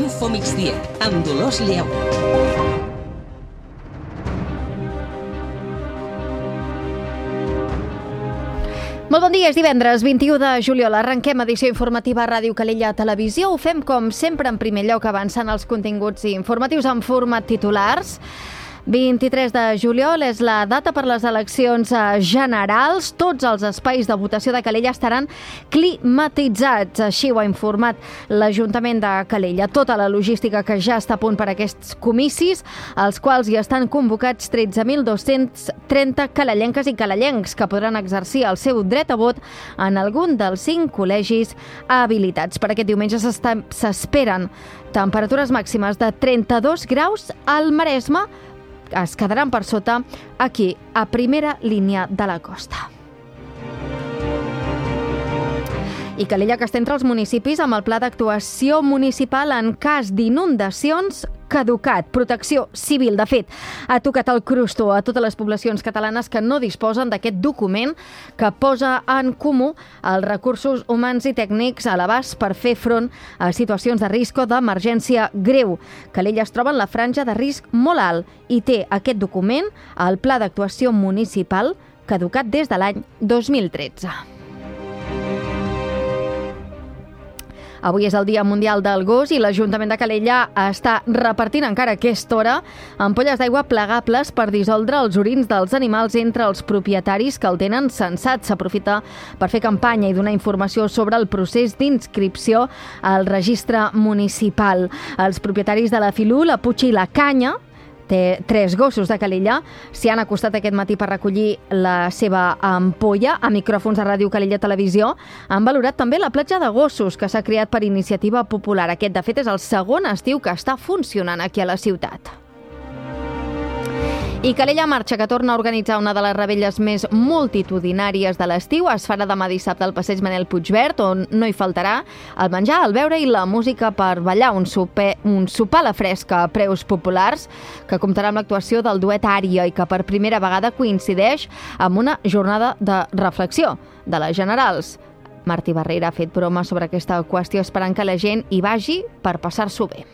Info Migdia, amb Dolors Lleu. Molt bon dia, és divendres 21 de juliol. Arrenquem edició informativa a Ràdio Calella Televisió. Ho fem, com sempre, en primer lloc, avançant els continguts informatius en format titulars. 23 de juliol és la data per les eleccions generals. Tots els espais de votació de Calella estaran climatitzats. Així ho ha informat l'Ajuntament de Calella. Tota la logística que ja està a punt per a aquests comicis, als quals hi estan convocats 13.230 calellenques i calellencs que podran exercir el seu dret a vot en algun dels 5 col·legis habilitats. Per aquest diumenge s'esperen temperatures màximes de 32 graus al Maresme, es quedaran per sota aquí, a primera línia de la costa. I Calella, que està entre els municipis amb el pla d'actuació municipal en cas d'inundacions caducat. Protecció Civil, de fet, ha tocat el crostó a totes les poblacions catalanes que no disposen d'aquest document que posa en comú els recursos humans i tècnics a l'abast per fer front a situacions de risc o d'emergència greu. Calella es troba en la franja de risc molt alt i té aquest document, el Pla d'Actuació Municipal, caducat des de l'any 2013. Avui és el Dia Mundial del Gos i l'Ajuntament de Calella està repartint encara a aquesta hora ampolles d'aigua plegables per dissoldre els orins dels animals entre els propietaris que el tenen censat. S'aprofita per fer campanya i donar informació sobre el procés d'inscripció al registre municipal. Els propietaris de la Filú, la Puig i la Canya, té 3 gossos de Calella, s'hi han acostat aquest matí per recollir la seva ampolla. A micròfons de Ràdio Calella Televisió han valorat també la platja de gossos que s'ha creat per iniciativa popular. Aquest, de fet, és el segon estiu que està funcionant aquí a la ciutat. I Calella Marxa, que torna a organitzar una de les revetlles més multitudinàries de l'estiu, es farà demà dissabte al passeig Manel Puigverd, on no hi faltarà el menjar, el beure i la música per ballar, un sopar a la fresca a preus populars, que comptarà amb l'actuació del duet Ària i que per primera vegada coincideix amb una jornada de reflexió de les generals. Martí Barrera ha fet broma sobre aquesta qüestió, esperant que la gent hi vagi per passar-s'ho bé.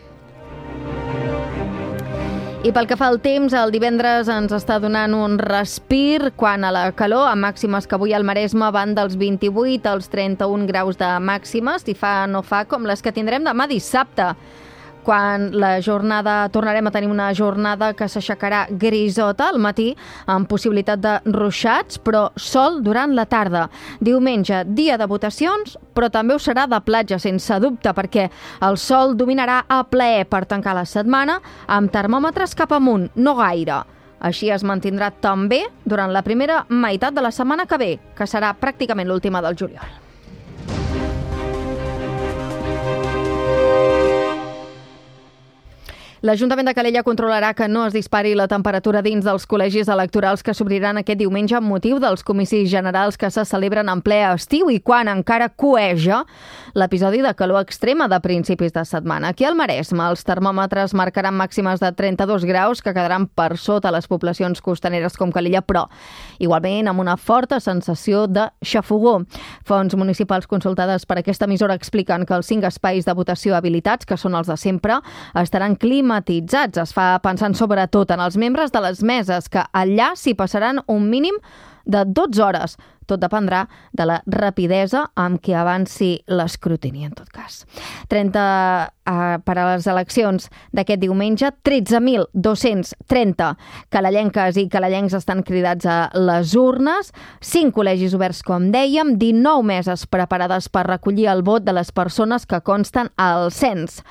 I pel que fa al temps, el divendres ens està donant un respir quant a la calor, amb màximes que avui al Maresme van dels 28 als 31 graus de màximes, i no fa com les que tindrem demà dissabte, quan tornarem a tenir una jornada que s'aixecarà grisota al matí, amb possibilitat de ruixats, però sol durant la tarda. Diumenge, dia de votacions, però també ho serà de platja, sense dubte, perquè el sol dominarà a plaer per tancar la setmana, amb termòmetres cap amunt, no gaire. Així es mantindrà també durant la primera meitat de la setmana que ve, que serà pràcticament l'última del juliol. L'Ajuntament de Calella controlarà que no es dispari la temperatura dins dels col·legis electorals que s'obriran aquest diumenge amb motiu dels comicis generals que se celebren en ple estiu i quan encara cueja l'episodi de calor extrema de principis de setmana. Aquí al Maresme els termòmetres marcaran màximes de 32 graus que quedaran per sota les poblacions costaneres com Calella, però igualment amb una forta sensació de xafogó. Fonts municipals consultades per aquesta emissora expliquen que els 5 espais de votació habilitats, que són els de sempre, estaran climatitzats. Es fa pensant sobretot en els membres de les meses, que allà s'hi passaran un mínim de 12 hores. Tot dependrà de la rapidesa amb què avanci l'escrutini, en tot cas. Per a les eleccions d'aquest diumenge, 13.230 calellenques i calellencs estan cridats a les urnes, 5 col·legis oberts, com dèiem, 19 meses preparades per recollir el vot de les persones que consten al cens.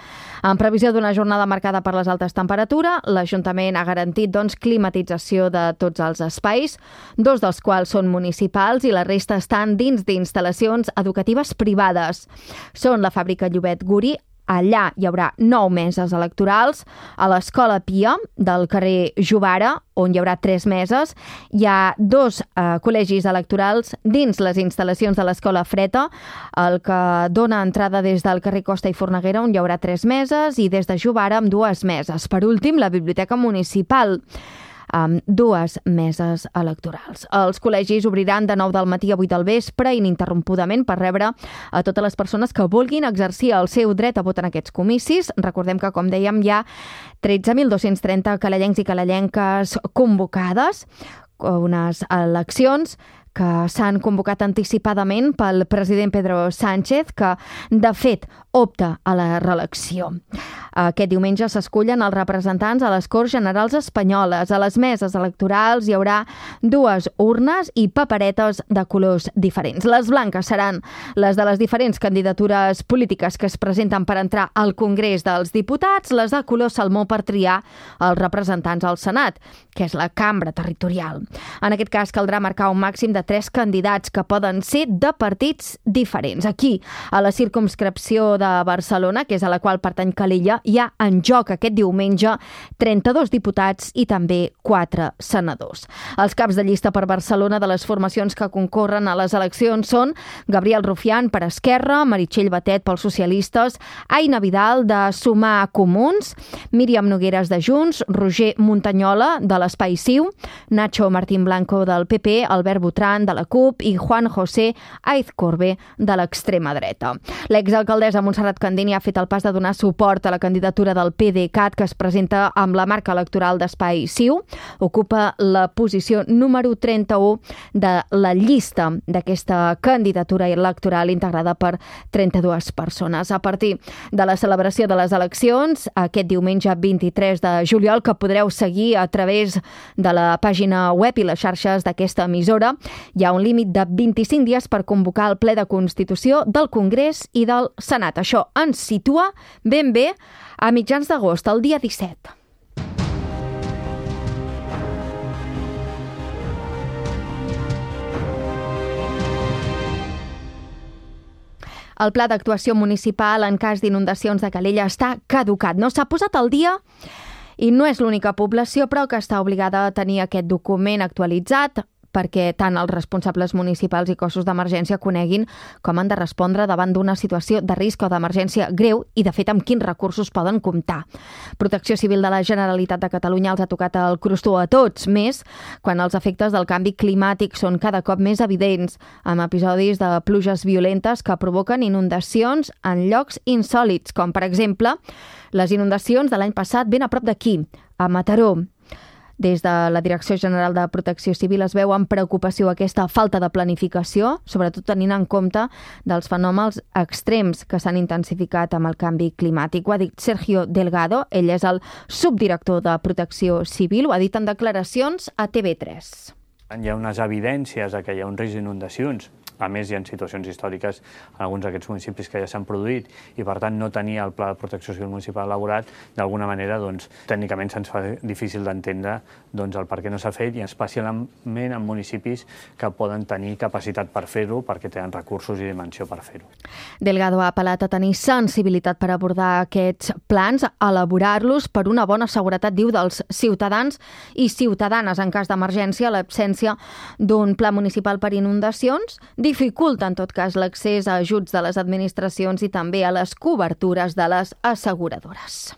En previsió d'una jornada marcada per les altes temperatures, l'Ajuntament ha garantit climatització de tots els espais, 2 dels quals són municipals i la resta estan dins d'instal·lacions educatives privades. Són la Fàbrica Llobet Guri, allà hi haurà 9 meses electorals, a l'Escola Pia del carrer Jovara, on hi haurà 3 meses, hi ha 2 col·legis electorals dins les instal·lacions de l'Escola Freta, el que dona entrada des del carrer Costa i Forneguera, on hi haurà 3 meses, i des de Jovara amb 2 meses. Per últim, la Biblioteca Municipal. amb 2 meses electorals. Els col·legis obriran de 9 del matí a 8 del vespre ininterrompudament per rebre a totes les persones que vulguin exercir el seu dret a vot en aquests comicis. Recordem que, com dèiem, hi ha 13.230 calellencs i calellenques convocades, unes eleccions que s'han convocat anticipadament pel president Pedro Sánchez, que, de fet, opta a la reelecció. Aquest diumenge s'escullen els representants a les Corts Generals Espanyoles. A les meses electorals hi haurà 2 urnes i paperetes de colors diferents. Les blanques seran les de les diferents candidatures polítiques que es presenten per entrar al Congrés dels Diputats, les de color salmó per triar els representants al Senat, que és la cambra territorial. En aquest cas caldrà marcar un màxim de 3 candidats que poden ser de partits diferents. Aquí, a la circumscripció de Barcelona, que és a la qual pertany Calella, hi ha en joc aquest diumenge 32 diputats i també 4 senadors. Els caps de llista per Barcelona de les formacions que concorren a les eleccions són Gabriel Rufián per Esquerra, Meritxell Batet pels socialistes, Aina Vidal de Sumar Comuns, Míriam Nogueras de Junts, Roger Montanyola de l'Espai Ciu, Nacho Martín Blanco del PP, Albert Botran de la CUP i Juan José Aizcorbe de l'extrema dreta. L'exalcaldessa Montserrat Candini ha fet el pas de donar suport a la candidatura del PDeCAT, que es presenta amb la marca electoral d'Espai Ciu. Ocupa la posició número 31 de la llista d'aquesta candidatura electoral integrada per 32 persones. A partir de la celebració de les eleccions, aquest diumenge 23 de juliol, que podreu seguir a través de la pàgina web i les xarxes d'aquesta emissora, hi ha un límit de 25 dies per convocar el ple de Constitució del Congrés i del Senat. Això ens situa ben bé a mitjans d'agost, el dia 17. El pla d'actuació municipal en cas d'inundacions de Calella està caducat. No s'ha posat al dia i no és l'única població, però que està obligada a tenir aquest document actualitzat perquè tant els responsables municipals i cossos d'emergència coneguin com han de respondre davant d'una situació de risc o d'emergència greu i, de fet, amb quins recursos poden comptar. Protecció Civil de la Generalitat de Catalunya els ha tocat el crostó a tots, més quan els efectes del canvi climàtic són cada cop més evidents, amb episodis de pluges violentes que provoquen inundacions en llocs insòlits, com, per exemple, les inundacions de l'any passat ben a prop d'aquí, a Mataró. Des de la Direcció General de Protecció Civil es veu amb preocupació aquesta falta de planificació, sobretot tenint en compte dels fenòmens extrems que s'han intensificat amb el canvi climàtic. Ho ha dit Sergio Delgado, ell és el subdirector de Protecció Civil, ho ha dit en declaracions a TV3. Hi ha unes evidències que hi ha un risc d'inundacions. A més, hi ha situacions històriques en alguns d'aquests municipis que ja s'han produït i, per tant, no tenir el Pla de Protecció Civil Municipal elaborat, d'alguna manera, tècnicament se'ns fa difícil d'entendre el per què no s'ha fet, i especialment en municipis que poden tenir capacitat per fer-ho, perquè tenen recursos i dimensió per fer-ho. Delgado ha apel·lat a tenir sensibilitat per abordar aquests plans, elaborar-los per una bona seguretat, diu, dels ciutadans i ciutadanes. En cas d'emergència, l'absència d'un pla municipal per inundacions dificulta, en tot cas, l'accés a ajuts de les administracions i també a les cobertures de les asseguradores.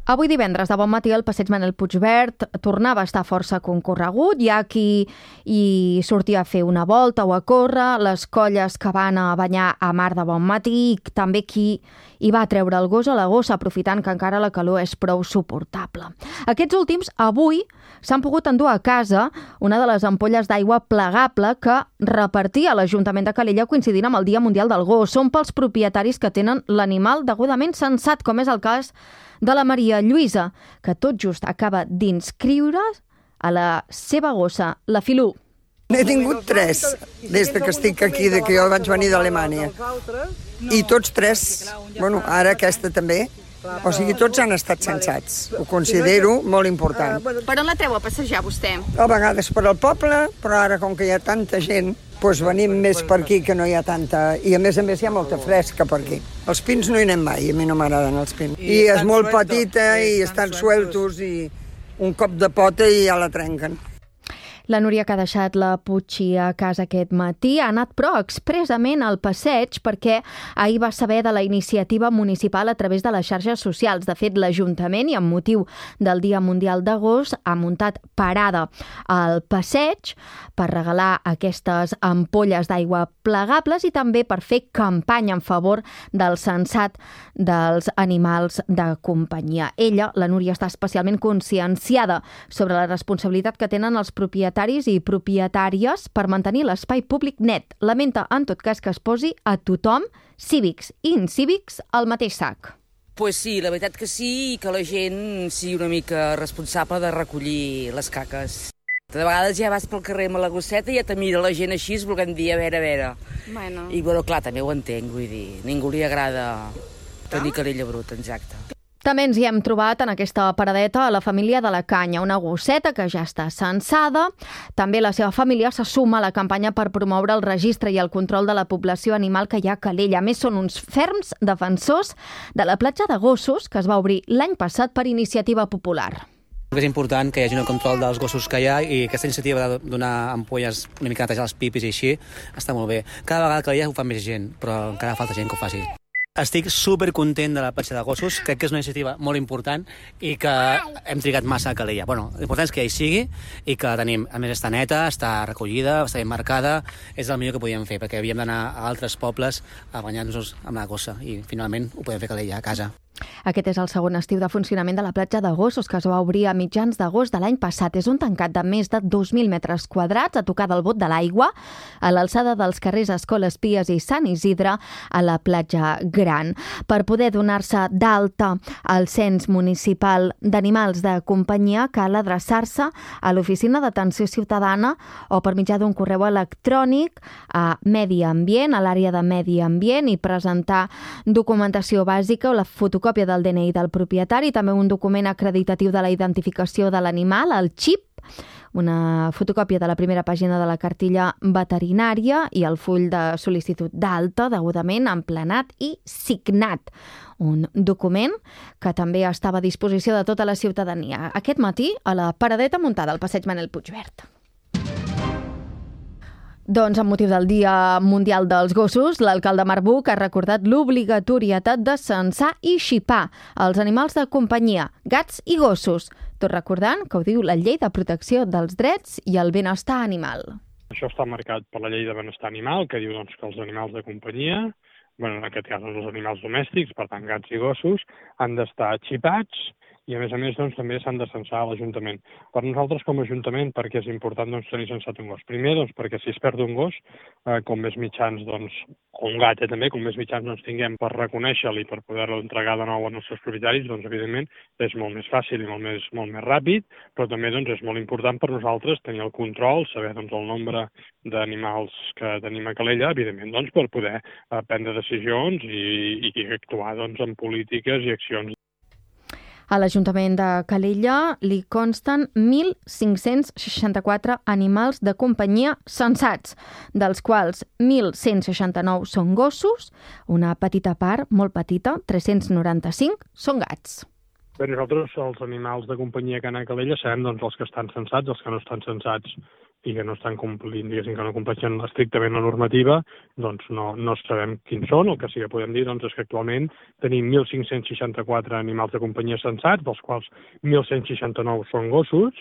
Avui divendres, de bon matí, el passeig Manel Puigverd tornava a estar força concorregut. Hi ha qui hi sortia a fer una volta o a córrer, les colles que van a banyar a mar de bon matí i també qui hi va treure el gos o la gossa, aprofitant que encara la calor és prou suportable. Aquests últims, avui, s'han pogut endur a casa una de les ampolles d'aigua plegable que repartia l'Ajuntament de Calella coincidint amb el Dia Mundial del Gos. Són pels propietaris que tenen l'animal degudament censat, com és el cas de la Maria Lluïsa, que tot just acaba d'inscriure a la seva gossa, la Filú. N'he tingut 3 des que estic aquí, de que jo vaig venir d'Alemanya. I tots 3, bueno, ara aquesta també, o sigui, tots han estat censats. Ho considero molt important. Per on la treu a passejar, vostè? A vegades per al poble, però ara, com que hi ha tanta gent, doncs venim més per aquí, que no hi ha tanta... I a més hi ha molta fresca per aquí. Els pins no hi anem mai, a mi no m'agraden els pins. I és molt petita i estan sueltos i un cop de pota i ja la trenquen. La Núria, que ha deixat la Puig a casa aquest matí, ha anat però expressament al passeig perquè ahir va saber de la iniciativa municipal a través de les xarxes socials. De fet, l'Ajuntament, i amb motiu del Dia Mundial d'agost, ha muntat parada al passeig per regalar aquestes ampolles d'aigua plegables i també per fer campanya en favor del censat dels animals de companyia. Ella, la Núria, està especialment conscienciada sobre la responsabilitat que tenen els propietaris i propietàries per mantenir l'espai públic net. Lamenta, en tot cas, que es posi a tothom, cívics i incívics, al mateix sac. Pues sí, la veritat que sí, i que la gent sigui una mica responsable de recollir les caques. De vegades ja vas pel carrer amb la gosseta i ja te mira la gent així, volent dir, a veure. Bueno. I, bueno, clar, també ho entenc, vull dir, ningú li agrada tenir calella bruta, exacte. També ens hi hem trobat en aquesta paradeta a la família de la Canya, una gosseta que ja està censada. També la seva família se suma a la campanya per promoure el registre i el control de la població animal que hi ha a Calella. A més, són uns ferms defensors de la platja de gossos que es va obrir l'any passat per iniciativa popular. És important que hi hagi un control dels gossos que hi ha i aquesta iniciativa de donar ampolles una mica netejar els pipis i així està molt bé. Cada vegada que hi ha ho fa més gent, però encara falta gent que ho faci. Estic supercontent de la platja de gossos, crec que és una iniciativa molt important i que hem trigat massa a Calella. Bueno, l'important és que hi sigui i que la tenim. A més, està neta, està recollida, està ben marcada, és el millor que podíem fer, perquè havíem d'anar a altres pobles a banyar-nos amb la gossa i finalment ho podem fer a Calella, a casa. Aquest és el segon estiu de funcionament de la platja de gossos que es va obrir a mitjans d'agost de l'any passat. És un tancat de més de 2.000 metres quadrats a tocar del bot de l'aigua, a l'alçada dels carrers Escoles Pies i Sant Isidre, a la platja Gran. Per poder donar-se d'alta al cens municipal d'animals de companyia cal adreçar-se a l'Oficina d'Atenció Ciutadana o per mitjà d'un correu electrònic a Medi Ambient, a l'àrea de Medi Ambient, i presentar documentació bàsica o la fotocòpia del DNI del propietari, també un document acreditatiu de la identificació de l'animal, el xip, una fotocòpia de la primera pàgina de la cartilla veterinària i el full de sol·licitud d'alta degudament emplenat i signat. Un document que també estava a disposició de tota la ciutadania. Aquest matí, a la paradeta muntada al passeig Manel Puigvert. Doncs, amb motiu del Dia Mundial dels Gossos, l'alcalde Marc Buch ha recordat l'obligatorietat de censar i xipar els animals de companyia, gats i gossos, tot recordant que ho diu la Llei de Protecció dels Drets i el Benestar Animal. Això està marcat per la Llei de Benestar Animal, que diu que els animals de companyia, en aquest cas els animals domèstics, per tant gats i gossos, han d'estar xipats i a més també s'han de censar a l'Ajuntament. Per nosaltres com a Ajuntament, perquè és important tenir censat un gos. Primer, perquè si es perd un gos, com més mitjans, o un gat també, com més mitjans tinguem per reconèixer-lo i per poder-lo entregar de nou als nostres propietaris, evidentment és molt més fàcil i molt més ràpid, però també és molt important per nosaltres tenir el control, saber el nombre d'animals que tenim a Calella, evidentment per poder prendre decisions i actuar en polítiques i accions. A l'Ajuntament de Calella li consten 1.564 animals de companyia censats, dels quals 1.169 són gossos, una petita part, molt petita, 395, són gats. Bé, nosaltres els animals de companyia que han a Calella sabem els que estan censats, els que no estan censats i que no estan complint, que no compleixen estrictament la normativa, no sabem quins són. El que sí que podem dir és que actualment tenim 1.564 animals de companyia censats, dels quals 1.169 són gossos,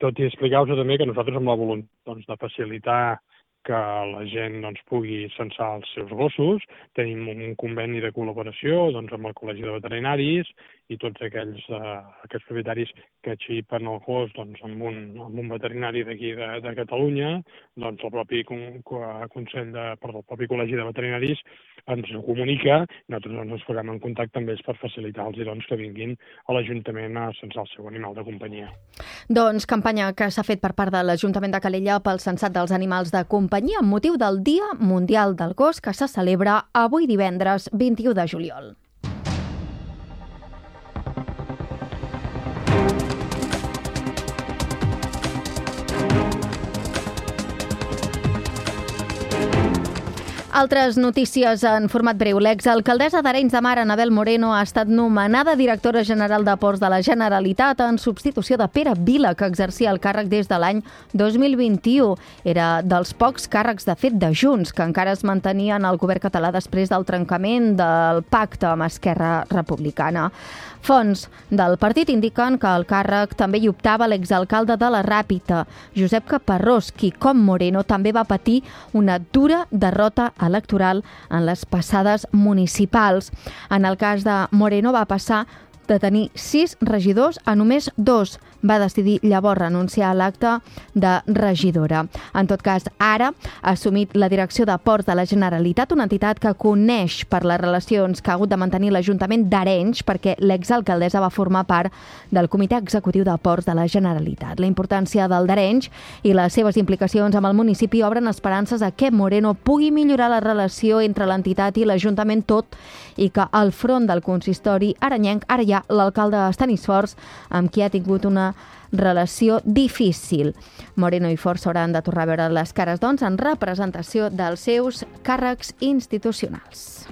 tot i explicar-vos també que nosaltres amb la voluntat de facilitar que la gent pugui censar els seus gossos, tenim un conveni de col·laboració amb el Col·legi de Veterinaris i tots aquests propietaris que xipen el gos amb un veterinari d'aquí de Catalunya, el propi Col·legi de Veterinaris ens ho comunica, nosaltres ens posem en contacte amb ells per facilitar-los que vinguin a l'Ajuntament a censar el seu animal de companyia. Doncs campanya que s'ha fet per part de l'Ajuntament de Calella pel censat dels animals de companyia amb motiu del Dia Mundial del Gos que se celebra avui divendres 21 de juliol. Altres notícies en format breu. L'exalcaldessa d'Arenys de Mar, Anabel Moreno, ha estat nomenada directora general de Ports de la Generalitat en substitució de Pere Vila, que exercia el càrrec des de l'any 2021. Era dels pocs càrrecs, de fet, de Junts, que encara es mantenien al govern català després del trencament del pacte amb Esquerra Republicana. Fonts del partit indiquen que al càrrec també hi optava l'exalcalde de la Ràpita, Josep Caparrós, qui, com Moreno, també va patir una dura derrota electoral en les passades municipals. En el cas de Moreno va passar de tenir 6 regidors a només 2. Va decidir llavors renunciar a l'acte de regidora. En tot cas, ara ha assumit la direcció de Ports de la Generalitat, una entitat que coneix per les relacions que ha hagut de mantenir l'Ajuntament d'Arenys, perquè l'exalcaldessa va formar part del Comitè Executiu de Ports de la Generalitat. La importància del d'Arenys i les seves implicacions amb el municipi obren esperances a que Moreno pugui millorar la relació entre l'entitat i l'Ajuntament, tot i que al front del consistori arenyenc ara hi ha l'alcalde Estanis Forts, amb qui ha tingut una relació difícil. Moreno i Forts s'hauran de tornar a veure les cares, doncs, en representació dels seus càrrecs institucionals.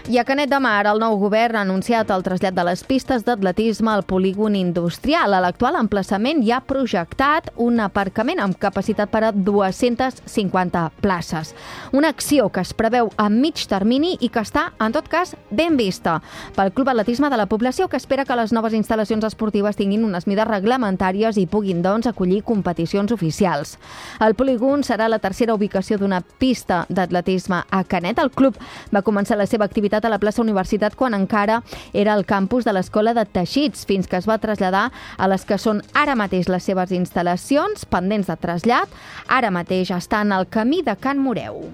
I a Canet de Mar, el nou govern ha anunciat el trasllat de les pistes d'atletisme al polígon industrial. A l'actual emplaçament hi ha projectat un aparcament amb capacitat per a 250 places. Una acció que es preveu a mig termini i que està, en tot cas, ben vista pel Club Atletisme de la població, que espera que les noves instal·lacions esportives tinguin unes mides reglamentàries i puguin, doncs, acollir competicions oficials. El polígon serà la tercera ubicació d'una pista d'atletisme a Canet. El club va començar la seva activitat a la plaça Universitat quan encara era el campus de l'Escola de Teixits, fins que es va traslladar a les que són ara mateix les seves instal·lacions, pendents de trasllat. Ara mateix estan al camí de Can Moreu.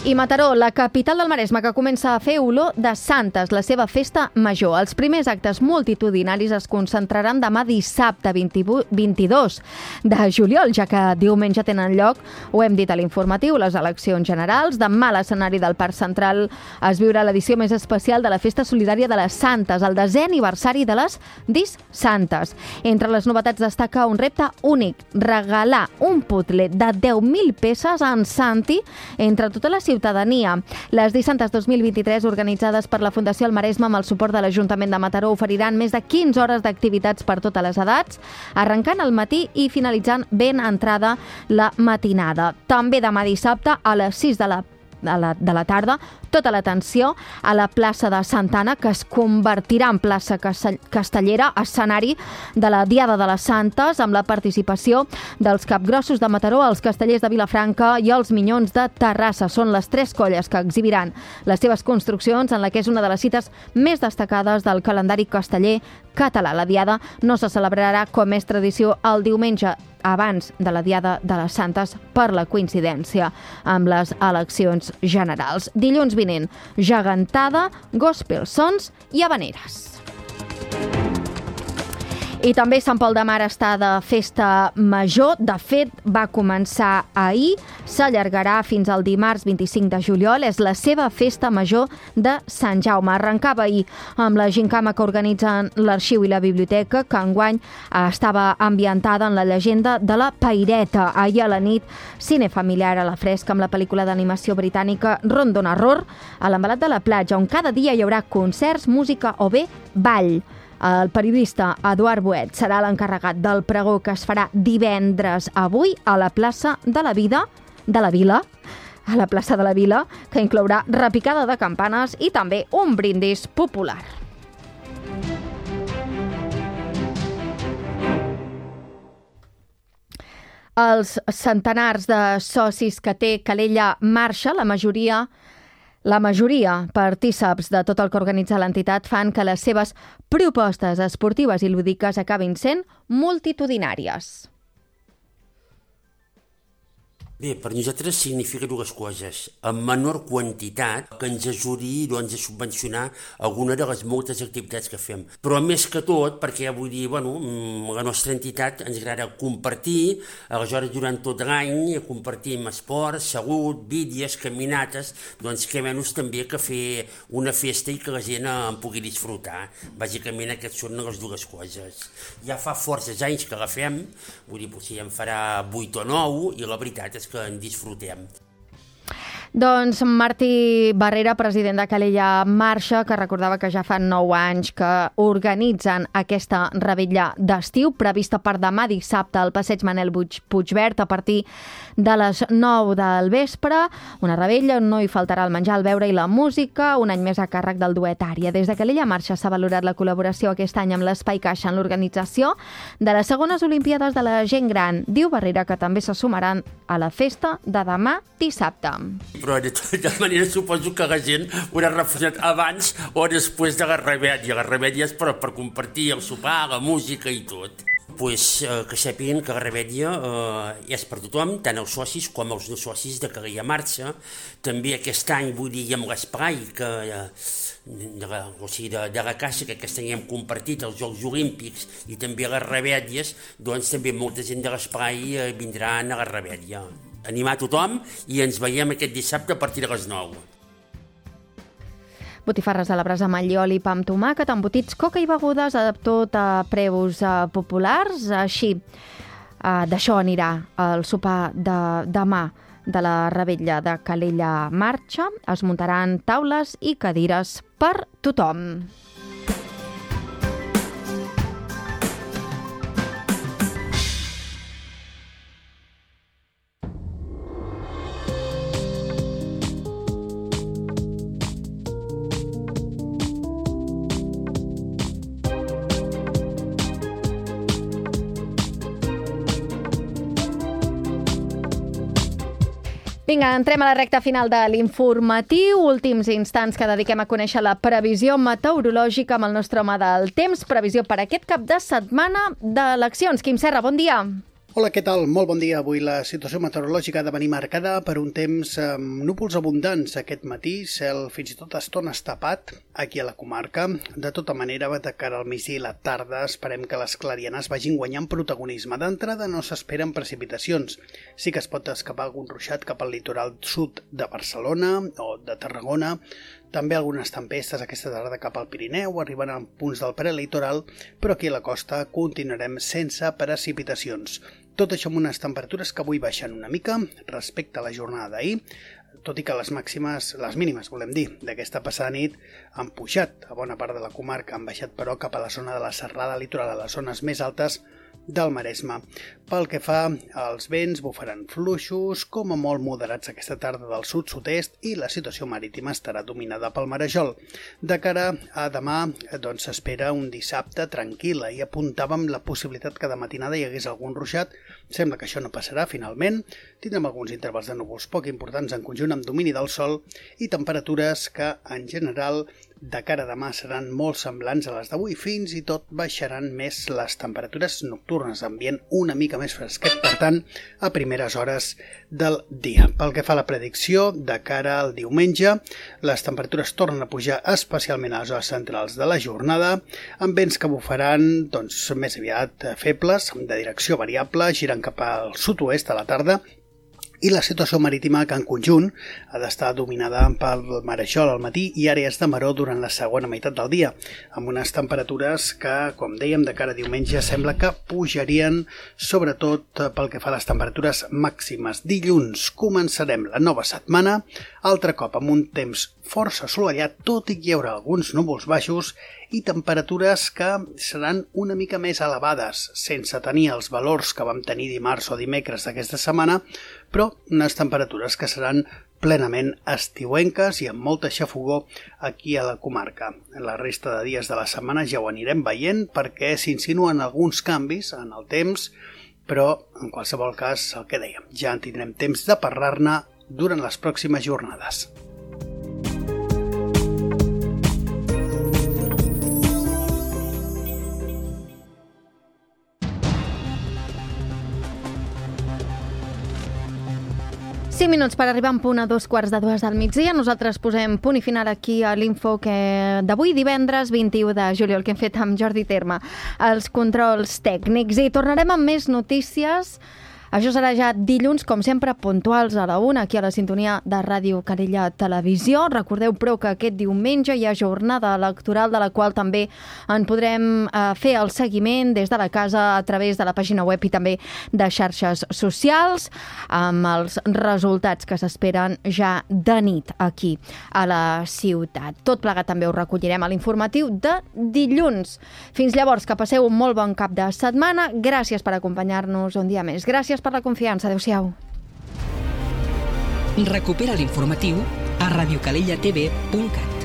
I Mataró, la capital del Maresme, que comença a fer olor de Santes, la seva festa major. Els primers actes multitudinaris es concentraran demà dissabte 22 de juliol, ja que diumenge tenen lloc, ho hem dit a l'informatiu, les eleccions generals. Demà a l'escenari del Parc Central es viurà l'edició més especial de la Festa Solidària de les Santes, el 10è aniversari de les Dis Santes. Entre les novetats destaca un repte únic, regalar un puzzle de 10.000 peces en Santi entre tota la ciutadania. Les Dissantes 2023, organitzades per la Fundació El Maresme amb el suport de l'Ajuntament de Mataró, oferiran més de 15 hores d'activitats per totes les edats, arrencant al matí i finalitzant ben entrada la matinada. També demà dissabte a les 6 de la tarda, tota l'atenció a la plaça de Santa Anna, que es convertirà en plaça castellera, escenari de la Diada de les Santes, amb la participació dels capgrossos de Mataró, els castellers de Vilafranca i els minyons de Terrassa. Són les 3 colles que exhibiran les seves construccions en la que és una de les cites més destacades del calendari casteller català. La Diada no se celebrarà, com és tradició, el diumenge abans de la Diada de les Santes per la coincidència amb les eleccions generals. Dilluns vinent, gegantada, gospel sons i havaneres. I també Sant Pol de Mar està de festa major. De fet, va començar ahir, s'allargarà fins al dimarts 25 de juliol. És la seva festa major de Sant Jaume. Arrencava ahir amb la gincama que organitzen l'Arxiu i la Biblioteca, que enguany estava ambientada en la llegenda de la Peireta. Ahir a la nit, cine familiar a la fresca amb la pel·lícula d'animació britànica Rondon Horror a l'Envelat de la Platja, on cada dia hi haurà concerts, música o bé ball. El periodista Eduard Boet serà l'encarregat del pregó que es farà divendres avui a la plaça de la Vila, a la plaça de la Vila, que inclourà repicada de campanes i també un brindis popular. Els centenars de socis que té Calella Marxa, la majoria partíceps de tot el que organitza l'entitat, fan que les seves propostes esportives i lúdiques acabin sent multitudinàries. Bé, per nosaltres significa dues coses. En menor quantitat, que ens ajudi a subvencionar alguna de les moltes activitats que fem. Però més que tot, perquè vull dir, la nostra entitat ens agrada compartir, aleshores durant tot l'any compartim esports, salut, vídeos, caminates, doncs què menys també que fer una festa i que la gent en pugui disfrutar. Bàsicament aquestes són les dues coses. Ja fa forces anys que la fem, vull dir, potser ja en farà 8 o 9, i la veritat és que en disfrutem. Doncs Martí Barrera, president de Calella Marxa, que recordava que ja fa 9 anys que organitzen aquesta revetlla d'estiu, prevista per demà dissabte al passeig Manel Puigverd a partir de les 9 del vespre. Una revetlla on no hi faltarà el menjar, el beure i la música, un any més a càrrec del duet Ària. Des de Calella Marxa s'ha valorat la col·laboració aquest any amb l'Espai Caixa en l'organització de les segones Olimpíades de la Gent Gran. Diu Barrera que també se sumaran a la festa de demà dissabte. Però de tota manera suposo que la gent haurà refusat abans o després de la revetlla. La revetlla és per compartir el sopar, la música i tot. Que sàpiguen que la revetlla és per tothom, tant els socis com els no socis de Calella Marxa. També aquest any, vull dir, amb l'espai de la Caixa, que aquest any hem compartit els Jocs Olímpics i també les revetlles, doncs també molta gent de l'espai vindran a la revetlla. Animar tothom i ens veiem aquest dissabte a partir de les 9. Botifarres a la brasa amb allioli, pa amb tomàquet, embotits, coca i begudes, tot a preus populars. Així, d'això anirà el sopar de demà de la revetlla de Calella Marxa. Es muntaran taules i cadires per tothom. Vinga, entrem a la recta final de l'informatiu. Últims instants que dediquem a conèixer la previsió meteorològica amb el nostre home del temps. Previsió per aquest cap de setmana d'eleccions. Quim Serra, bon dia. Hola, què tal? Molt bon dia. Avui la situació meteorològica ha de venir marcada per un temps amb núvols abundants aquest matí, cel fins i tot a estones tapat aquí a la comarca. De tota manera, de cara al migdia i la tarda, esperem que les clarianes vagin guanyant protagonisme. D'entrada no s'esperen precipitacions. Sí que es pot escapar algun ruixat cap al litoral sud de Barcelona o de Tarragona. També algunes tempestes aquesta tarda cap al Pirineu, arribant a punts del prelitoral, però aquí a la costa continuarem sense precipitacions. Tot això amb unes temperatures que avui baixen una mica respecte a la jornada d'ahir, tot i que les mínimes, volem dir, d'aquesta passada nit han pujat a bona part de la comarca, han baixat però cap a la zona de la serrada litoral, a les zones més altes del Maresme. Pel que fa als vents, bufaran fluixos, com a molt moderats aquesta tarda del sud-sud-est, i la situació marítima estarà dominada pel marejol. De cara a demà, doncs s'espera un dissabte tranquil·la i apuntàvem la possibilitat que de matinada hi hagués algun ruixat. Sembla que això no passarà finalment. Tindrem alguns intervals de núvols poc importants en conjunt amb domini del sol i temperatures que, en general, de cara a demà seran molt semblants a les d'avui, fins i tot baixaran més les temperatures nocturnes, ambient una mica més fresquet, per tant, a primeres hores del dia. Pel que fa a la predicció, de cara al diumenge, les temperatures tornen a pujar especialment a les hores centrals de la jornada, amb vents que bufaran més aviat febles, de direcció variable, girant cap al sud-oest a la tarda, i la situació marítima que en conjunt ha d'estar dominada pel marejol al matí i àrees de maró durant la segona meitat del dia, amb unes temperatures que, com dèiem, de cara a diumenge sembla que pujarien, sobretot pel que fa a les temperatures màximes. Dilluns començarem la nova setmana, altre cop amb un temps força assolellat, tot i que hi haurà alguns núvols baixos i temperatures que seran una mica més elevades, sense tenir els valors que vam tenir dimarts o dimecres d'aquesta setmana, però unes temperatures que seran plenament estiuenques i amb molta xafogó aquí a la comarca. En la resta de dies de la setmana ja ho anirem veient perquè s'insinuen alguns canvis en el temps, però en qualsevol cas, el que dèiem, ja en tindrem temps de parlar-ne durant les pròximes jornades. 5 minuts per arribar en punt a 2:15 del migdia. Nosaltres posem punt i final aquí a l'info d'avui, divendres 21 de juliol, que hem fet amb Jordi Terme, els controls tècnics. I tornarem amb més notícies. Això serà ja dilluns, com sempre, puntuals a la 1, aquí a la sintonia de Ràdio Calella Televisió. Recordeu, però, que aquest diumenge hi ha jornada electoral, de la qual també en podrem fer el seguiment des de la casa a través de la pàgina web i també de xarxes socials, amb els resultats que s'esperen ja de nit aquí a la ciutat. Tot plegat també ho recollirem a l'informatiu de dilluns. Fins llavors, que passeu un molt bon cap de setmana. Gràcies per acompanyar-nos un dia més. Gràcies per la confiança. Adéu-siau. Recupera l'informatiu a radiocalellatv.cat.